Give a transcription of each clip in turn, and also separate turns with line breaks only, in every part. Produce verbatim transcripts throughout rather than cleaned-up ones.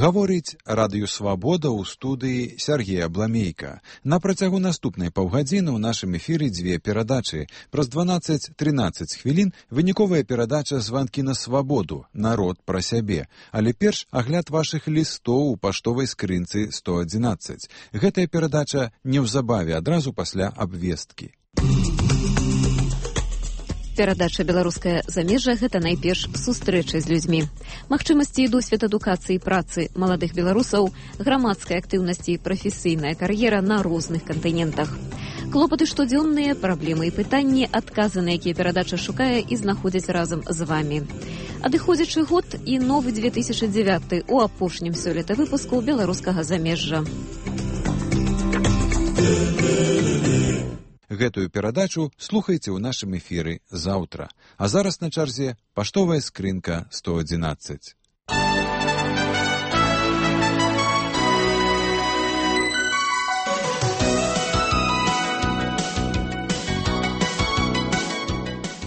Гаворыць Радыё Свабода ў студыі Сергея Бламейка. На працягу наступнай паўгадзіны ў нашым эфіры дзве перадачы. Праз дванаццаць-трынаццаць хвілін выніковая перадача «Званкі на свабоду. Народ пра сябе». Але перш агляд вашых лістоў у паштовай скрынцы сто адзінаццаць. Гэтая перадача неўзабаве, адразу пасля абвесткі.
Перадача «Беларускае замежжа» – гэта найперш сустрэчы з людзьмі. Магчымасці і досвед адукацыі і працы маладых беларусаў, грамадскай актыўнасці і прафесійная кар'ера на розных кантынентах. Клопаты штодзённыя, праблемы і пытанні, адказы на якія перадача шукае і знаходзіць разам з вамі. Адыходзячы год і новы две тысячы дзевяты у апошнім сёлета выпуску «Беларускага замежжа».
Гэтую перадачу слухайце ў нашым эфіры заўтра. А зараз на чарзе паштовая скрынка сто адзінаццаць.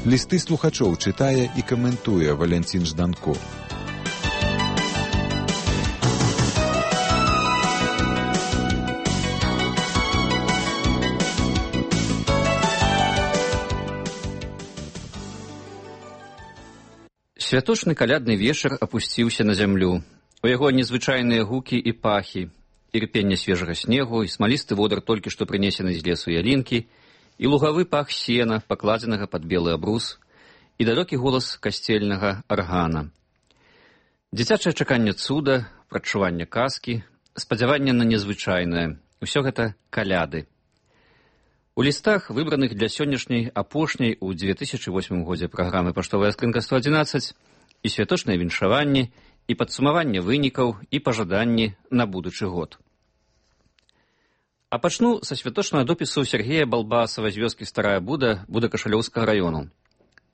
Лісты слухачоў чытае і каментуе Валянцін Жданко.
Святочны калядны вечар апусціўся на зямлю. У яго незвычайныя гукі і пахі, ірпенне свежага снегу, і смалісты водар толькі што прынесены з лесу ялінкі, і лугавы пах сена, пакладзенага пад белы абрус, і далёкі голас касцельнага аргана. Дзіцячае чаканне цуда, прадчуванне казкі, спадзяванне на незвычайнае. Усё гэта каляды. У лістах, выбраных для сённяшняй апошняй у две тысячы восьмым годзе праграмы «Паштовая скрынка сто адзінаццаць» і святочныя віншаванні, і падсумаванне вынікаў, і пажаданні на будучы год. А пачну са святочнага допісу Сергея Балбасава з вёскі Старая Буда Будакашалёўскага раёну.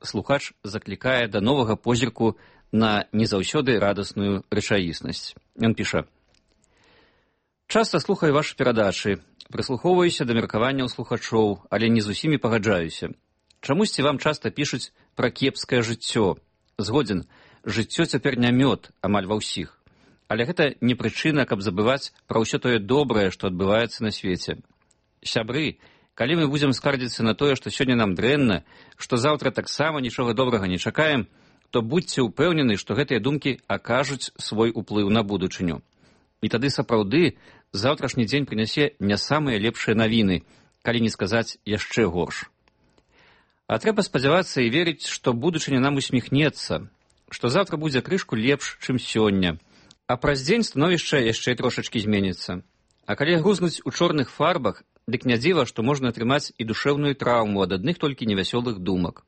Слухач заклікае да новага позірку на не заўсёды радасную рэчаіснасць. Ён піша: «Часта слухаю вашы перадачы, прыслухоўваюся да меркаванняў слухачоў, але не з усімі пагаджаюся. Чамусьці вам часта пішуць пра кепскае жыццё. Згодзін, жыццё цяпер не мёд, амаль ва ўсіх. Але гэта не прычына, каб забываць пра ўсё тое добрае, што адбываецца на свеце. Сябры, калі мы будзем скардзіцца на тое, што сёння нам дрэнна, што заўтра таксама нічога добрага не чакаем, то будзьце ўпэўнены, што гэтыя думкі акажуць свой уплыў на будучыню. І тады сапраўды заўтрашні дзень прынясе не самыя лепшыя навіны, калі не сказаць яшчэ горш. А трэба спадзявацца і верыць, што будучыня нам усміхнецца, што заўтра будзе крышку лепш, чым сёння, а праз дзень становішча яшчэ трошачкі зменіцца. А калі грузнуць у чорных фарбах, дык не дзіва, што можна атрымаць і душэўную траўму ад адных толькі невясёлых думак.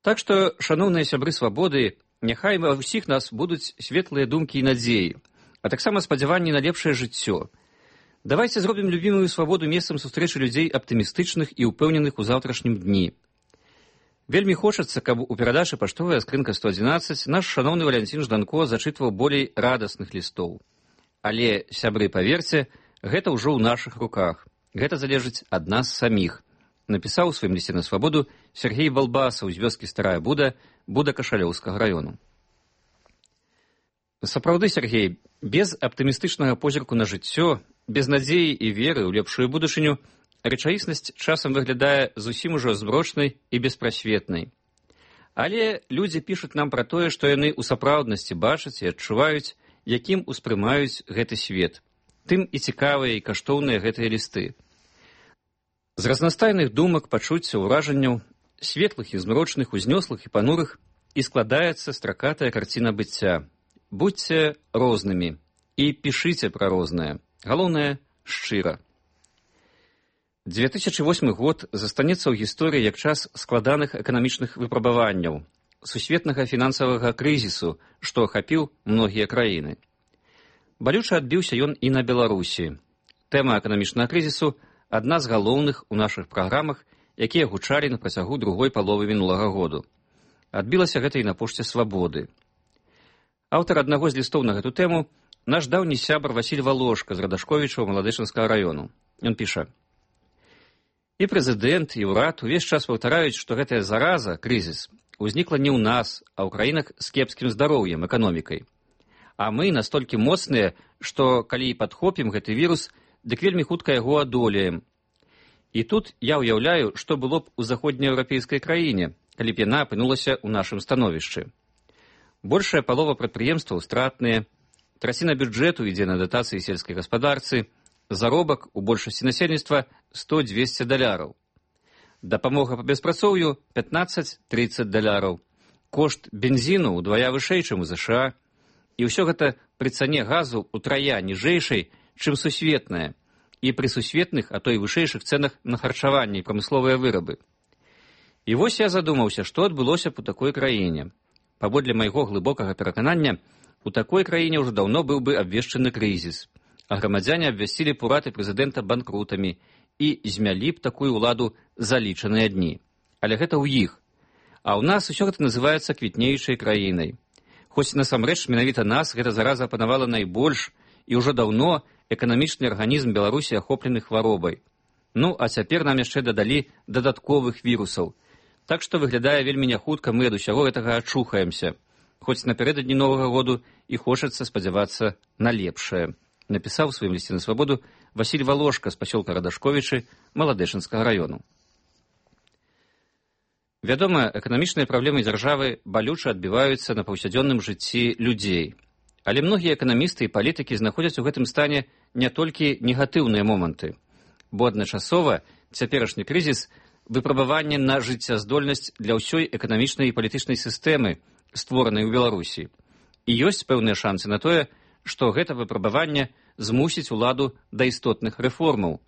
Так што, шаноўныя сябры свабоды, няхай ва ўсіх нас будуць светлыя думкі і надзеі, а таксама спадзяванні на лепшае жыццё. Давайце зробім любімую свабоду месцам сустрэчы людзей аптымістычных і ўпэўненых у заўтрашнім дні. Вельмі хочацца, каб у перадачы «Паштовая скрынка сто адзінаццаць» наш шаноўны Валянцін Жданко зачытваў болей радасных лістоў. Але, сябры, паверце, гэта ўжо ў нашых руках. Гэта залежыць ад нас саміх. Напісаў у сваім лісце на свабоду Сергей Балбасаў з вёскі Старая Буда Будакашалёўскага раёну. Сапраўды, Сергей, без аптымістычнага позірку на жыццё, без надзеі і веры ў лепшую будучыню, рэчаіснасць часам выглядае зусім ужо змрочнай і беспрасветнай. Але людзі пішуць нам пра тое, што яны ў сапраўднасці бачаць і адчуваюць, якім успрымаюць гэты свет. Тым і цікавыя і каштоўныя гэтыя лісты. З разнастайных думак, пачуццяў, уражанняў, светлых і змрочных, узнёслых і панурых, і складаецца стракатая карціна быцця. Будьце рознымі і пішыце пра рознае. Галоўнае – шчыра. две тысячы восьмы год застанецца ў гісторыі як час складаных эканамічных выпрабаванняў, сусветнага фінансавага крызісу, што ахапіў многія краіны. Балюча адбіўся ён і на Беларусі. Тэма эканамічнага крызісу – адна з галоўных у нашых праграмах, якія гучалі на працягу другой паловы мінулага году. Адбілася гэта і на пошце свабоды. Аўтар аднаго з лістоў на гэту тэму – наш даўні сябар Васіль Валошка з Радашковічаў Маладышынскага раёну. Ён піша: «І прэзідэнт, і ўрад увесь час паўтараюць, што гэтая зараза, крызіс, узнікла не ў нас, а ў краінах з кепскім здароўем, эканомікай. А мы настолькі моцныя, што калі і падхопім гэты вірус, дык вельмі хутка яго адолеем. І тут я ўяўляю, што было б у заходнееўрапейскай краіне, калі б яна апынулася ў нашым становішчы. Большая палова прадпрыемстваў стратныя, траціна бюджэту ідзе на датацыі сельскай гаспадарцы, заробак у большасці насельніцтва сто-дзвесце даляраў. Дапамога па беспрацоўю пятнаццаць-трыццаць даляраў. Кошт бензіну ўдвая вышэй, чым у ЗША. І ўсё гэта пры цане газу утрая ніжэйшай, чым сусветная, і пры сусветных, а то і вышэйшых цэнах на харчаванне і прамысловыя вырабы. І вось я задумаўся, што адбылося б у такой краіне. Паводле майго глыбокага пераканання, у такой краіне ўжо даўно быў бы абвешчаны крызіс, а грамадзяне абвясцілі б урад і прэзідэнта банкрутамі і змялі б такую ўладу за лічаныя дні. Але гэта ў іх. А ў нас усё гэта называецца квітнеючай краінай. Хоць насамрэч менавіта нас гэта зараза апанавала найбольш, і ўжо даўно эканамічны арганізм Беларусі ахоплены хваробай. Ну, а цяпер нам яшчэ дадалі дадатковых вірусаў. Так што выглядае вельмі няхутка мы ад усяго гэтага ачухаемся. Хоць напярэдадні Новага году і хочацца спадзявацца на лепшае. Напісаў у сваім лісце на свабоду Васіль Валошка з пасёлка Радашковічы Маладэшынскага раёну. Вядома, эканамічныя праблемы дзяржавы балюча адбіваюцца на паўсядзённым жыцці людзей. Але многія эканамісты і палітыкі знаходзяць у гэтым стане не толькі негатыўныя моманты, бо адначасова цяперашні крызіс выпрабаванне на жыццяздольнасць для ўсёй эканамічнай і палітычнай сістэмы, створанай у Беларусі. І ёсць пэўныя шансы на тое, што гэта выпрабаванне змусіць уладу да істотных рэформаў.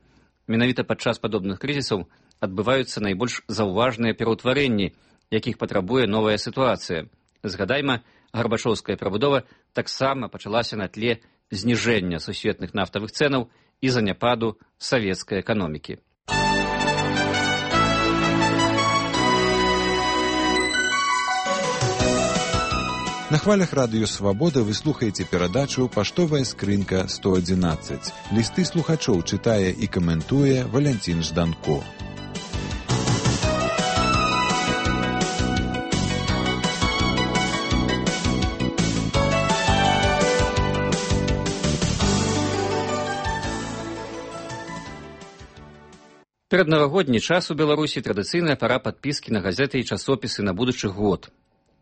Менавіта падчас падобных крызісаў адбываюцца найбольш заўважныя пераўтварэнні, якіх патрабуе новая сітуацыя. Згадайма, гарбачоўская прабудова таксама пачалася на тле зніжэння сусветных нафтавых цэнаў і заняпаду савецкай эканомікі.
На хвалях радыё «Свабода» вы слухаеце перадачу «Паштовая скрынка сто адзінаццаць». Лісты слухачоў чытае і каментуе Валянцін Жданко.
Пераднавагодні час у Беларусі традыцыйная пара падпіскі на газеты і часопісы на будучы год.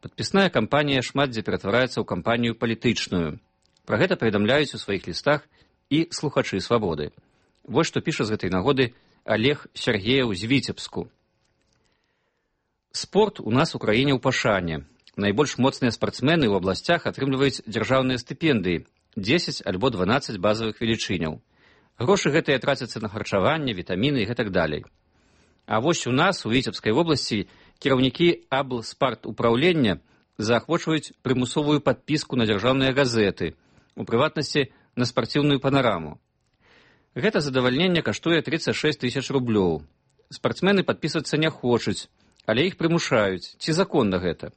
Падпісная кампанія шмат дзе ператвараецца ў кампанію палітычную. Пра гэта паведамляюць у сваіх лістах і слухачы «Свабоды». Вось што піша з гэтай нагоды Олег Сергеев з Віцебску. Спорт у нас у краіне ў пашане. Найбольш моцныя спартсмены ў абласцях атрымліваюць дзяржаўныя стыпендыі – дзесяць альбо дванаццаць базавых велічыняў. Грошы гэтыя трацяцца на харчаванне, вітаміны і гэтак далей. А вось у нас, у Віцебскай вобласці, кіраўнікі аблспартупраўлення заахвочваюць прымусовую падпіску на дзяржаўныя газеты, у прыватнасці на спарціўную панараму. Гэта задавальненне каштуе трыццаць шэсць тысяч рублёў. Спартсмены падпісвацца не хочуць, але іх прымушаюць. Ці законна гэта?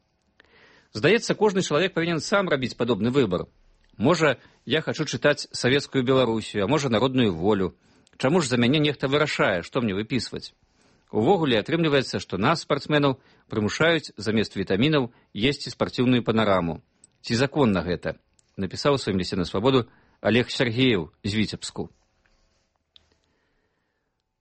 Здаецца, кожны чалавек павінен сам рабіць падобны выбар. Можа, я хачу чытаць савецкую Беларусію, а можа, народную волю. Чаму ж за мяне нехта вырашае, што мне выпісваць? Увогуле атрымліваецца, што нас, спартсменаў, прымушаюць замест вітамінаў есці спарціўную панараму. Ці законна гэта? Напісаў у сваім лісце на свабоду Олег Сергеев з Віцебску.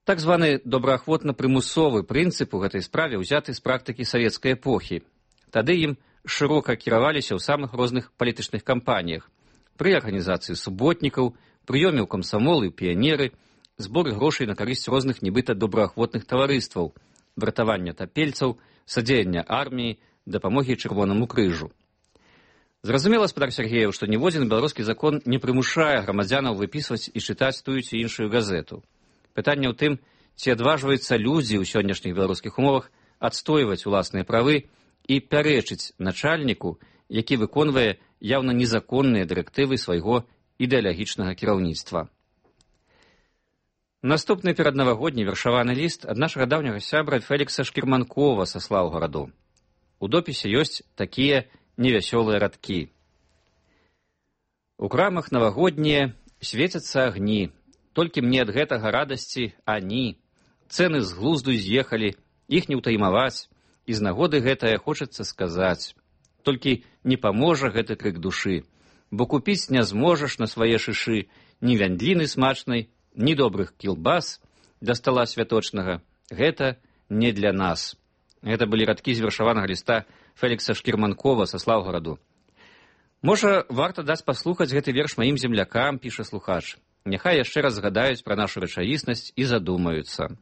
Так званы добраахвотна-прымусовы прынцып у гэтай справе ўзяты з практыкі савецкай эпохі. Тады ім шырока кіраваліся ў самых розных палітычных кампаніях. Пры арганізацыі суботнікаў, прыёме ў камсамолы і піянеры, збор грошай на карысць розных нібыта добраахвотных таварыстваў, выратавання тапельцаў, садзеяння арміі, дапамогі Чырвонаму крыжу. Зразумела, спадар Сергеев, што ніводзін беларускі закон не прымушае грамадзянаў выпісваць і чытаць тую ці іншую газету. Пытанне ў тым, ці адважваюцца людзі ў сённяшніх беларускіх умовах адстойваць уласныя правы і пярэчыць начальніку, які выконвае яўна незаконныя дырэктывы свайго ідэалагічнага кіраўніцтва. Наступны пераднавагодні вершаваны ліст ад нашага даўняга сябра Фелікса Шкірманкова са Слаўгараду. У допісе ёсць такія невясёлыя радкі. У крамах навагоднія свецяцца агні, толькі мне ад гэтага радасці ані. Цэны з глузду з'ехалі, іх не ўтаймаваць, і з нагоды гэтае хочацца сказаць. Толькі не паможа гэты крык душы. бо купіць не зможаш на свае шышы ні вяндліны смачнай, ні добрых кілбас да стала святочнага. Гэта не для нас. Гэта былі радкі з вершаванага ліста Фелікса Шкірманкова са Слаўгараду. Можа, варта даць паслухаць гэты верш маім землякам, піша слухач. Няхай яшчэ раз згадаюць пра нашу рэчаіснасць і задумаюцца.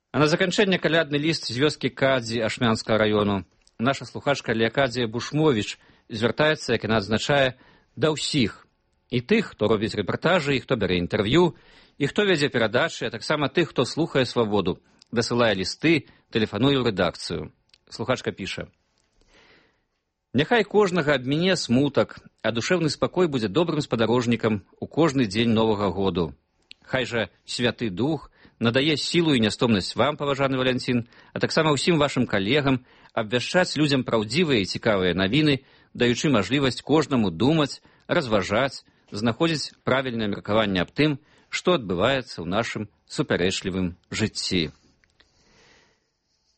А на заканчэнне калядны ліст з вёскі Кадзі Ашмянскага раёну. Наша слухачка Леакадзія Бушмовіч звяртаецца, як яна адзначае, да ўсіх. І тых, хто робіць рэпартажы, і хто бярэ інтэрв'ю, і хто вядзе перадачы, а таксама тых, хто слухае свабоду, дасылае лісты, тэлефануе ў рэдакцыю. Слухачка піша. Няхай кожнага абміне смутак, а душэўны спакой будзе добрым спадарожнікам у кожны дзень новага году. Хай жа Святы Дух надае сілу і нястомнасць вам, паважаны Валянцін, а таксама ўсім вашым калегам абвяшчаць людзям праўдзівыя і цікавыя навіны, даючы мажлівасць кожнаму думаць, разважаць, знаходзіць правільнае меркаванне аб тым, што адбываецца ў нашым супярэчлівым жыцці.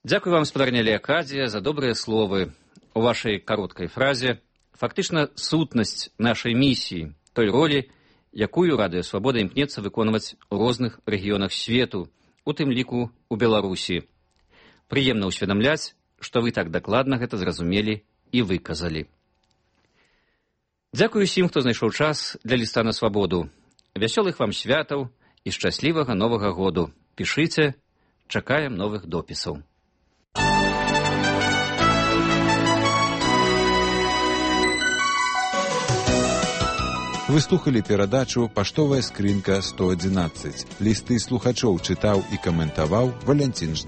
Дзякуй вам, спадарня Леакадзія, за добрыя словы. У вашай кароткай фразе фактычна сутнасць нашай місіі, той ролі, якую Радыё Свабода імкнецца выконваць у розных рэгіёнах свету, у тым ліку у Беларусі. Прыемна ўсведамляць, што вы так дакладна гэта зразумелі і выказалі. Дзякую усім, хто знайшоў час для ліста на свабоду. Вясёлых вам святаў і шчаслівага новага году. Пішыце, чакаем новых допісаў.
Вы слухалі перадачу «Паштовая скрынка сто адзінаццаць». Лісты слухачоў чытаў і каментаваў Валянцін Ждан.